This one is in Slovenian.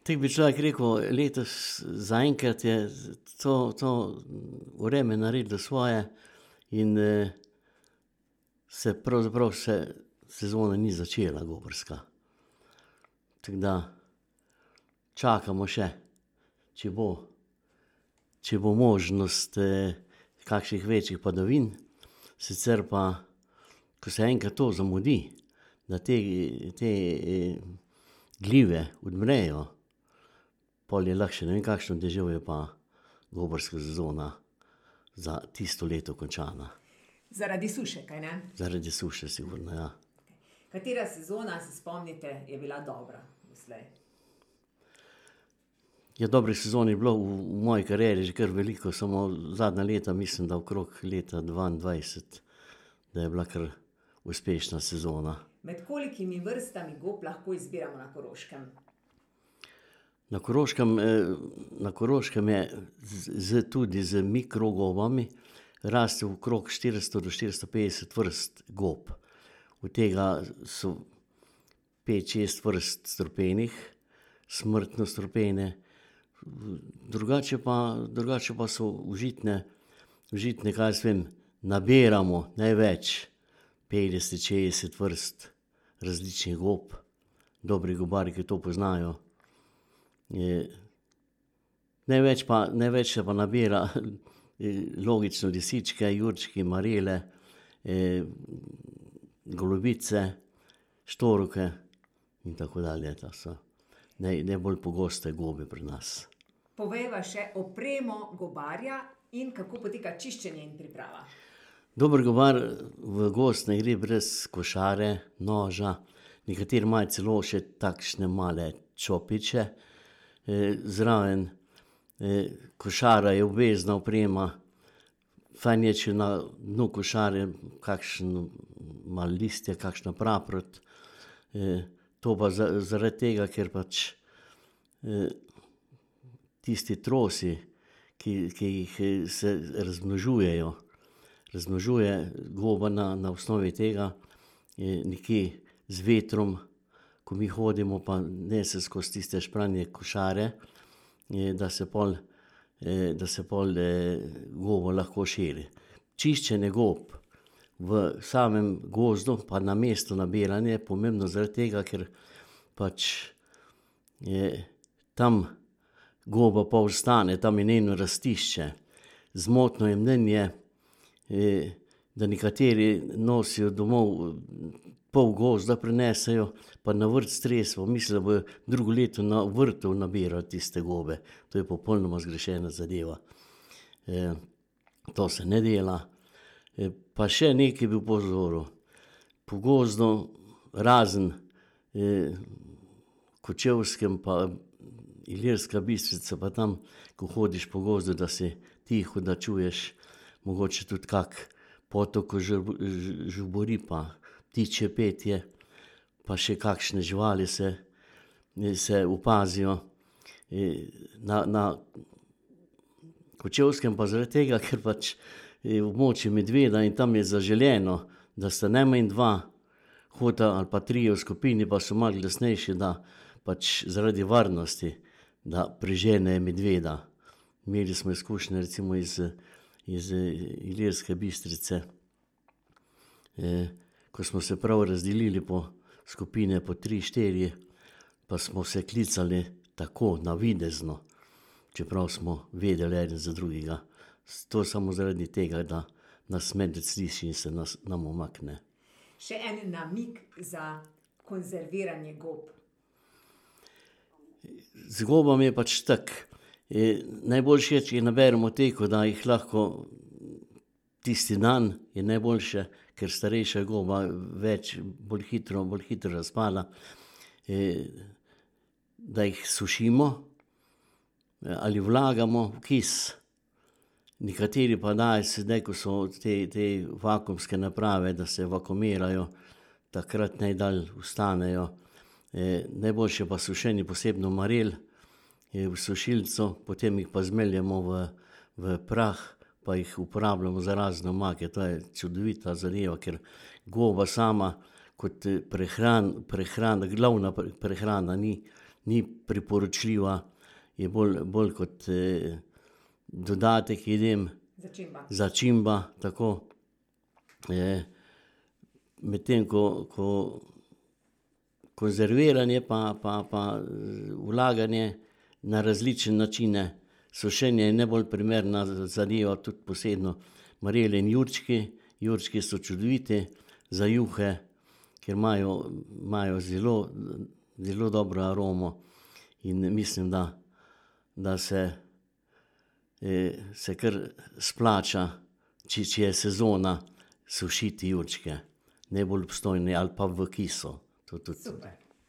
Tako bi človek rekel, letos zaenkrat je to vreme naredilo svoje in se pravzaprav sezona ni začela gobarska. Tako da čakamo še, če bo možnost kakšnih večjih padavin, sicer pa, ko se enkrat to zamudi, da te gljive odmrejo, pol je lahko še ne vem kakšno deževje, pa gobarska sezona za tisto leto končana. Zaradi suše, kaj ne? Zaradi suše, sigurno, ja. Katera sezona, se spomnite, je bila dobra doslej? Ja, dobrih sezon je bilo v moji karieri že kar veliko, samo zadnja leta, mislim, da okrog leta 2022, da je bila kar uspešna sezona. Med kolikimi vrstami gob lahko izbiramo na Koroškem? Na Koroškem je tudi z mikrogobami raste okrog 400 do 450 vrst gob. Od tega so 5-6 vrst strupenih, smrtno strupene, drugače pa so užitne, kaj jaz vem, nabiramo največ 50-60 vrst različnih gob, dobri gobarji, ki to poznajo. Največ se pa nabira logično lisičke, jurčki, marele, golobice, štoruke in tako dalje. To so najbolj pogoste gobe pri nas. Povejva še opremo gobarja in kako poteka čiščenje in priprava. Dober gobar v gozd ne gre brez košare, noža, nekateri imajo celo še takšne male čopiče. Zraven košara je obvezna oprema, fajn je, če na dnu košare kakšen malo listje, kakšna praprot. To pa zaradi tega, ker pač tisti trosi, ki jih se razmnožuje goba na osnovi tega, nekje z vetrom, ko mi hodimo, pa nese skozi tiste špranje košare, da se pol goba lahko širi. Čiščenje gob v samem gozdu, pa na mestu nabiranja je pomembno zaradi tega, ker pač tam goba pa ostane, tam je njeno rastišče. Zmotno je mnenje, da nekateri nosijo domov pol gozda prinesejo, pa na vrt streso, mislijo, da bojo drugo leto na vrtu nabirali tiste gobe. To je popolnoma zgrešena zadeva. To se ne dela. Pa še nekaj bi opozoril. Po gozdu, razen Kočevskem pa Ilirska Bistrica, pa tam, ko hodiš po gozdu, da si tiho, da čuješ mogoče tudi kak potok, ko žubori, pa ptičje petje, pa še kakšne živali se opazijo. Na Kočevskem pa zaradi tega, ker pač je območje medveda in tam je zaželeno, da sta najmanj 2 hota ali pa 3 v skupini, pa so malo glasnejši, da pač zaradi varnosti, da preženejo medveda. Imeli smo izkušnje recimo iz Ilirske Bistrice, ko smo se prav razdelili po skupine, po 3-4, pa smo se klicali tako navidezno, čeprav smo vedeli eden za drugega. To samo zaradi tega, da nas medved sliši in se nam umakne. Še en namig za konzerviranje gob. Z gobami je pač tako. Najboljše je, če naberemo teko, da jih lahko tisti dan je najboljše, ker starejša goba bolj hitro razpada, da jih sušimo ali vlagamo v kis. Nekateri pa dajo sedaj, ko so te vakuumske naprave, da se vakuumirajo, takrat najdalj ostanejo. Najboljše pa sušenje posebno marel v sušilcu, potem jih pa zmeljemo v prah, pa jih uporabljamo za razne omake. To je čudovita zadeva, ker goba sama kot prehrana, glavna prehrana ni ni priporočljiva, je bolj kot dodatek jedem, Začimba. začimba, tako. Medtem ko konzerviranje pa vlaganje na različne načine, sušenje je najbolj primerna zadeva, tudi posebno marele in jurčki. Jurčki so čudoviti za juhe, ker imajo zelo dobro aromo in mislim, da se kar splača, če je sezona, sušiti jurčke. Najbolj obstojni ali pa v kiso. To tudi. Super.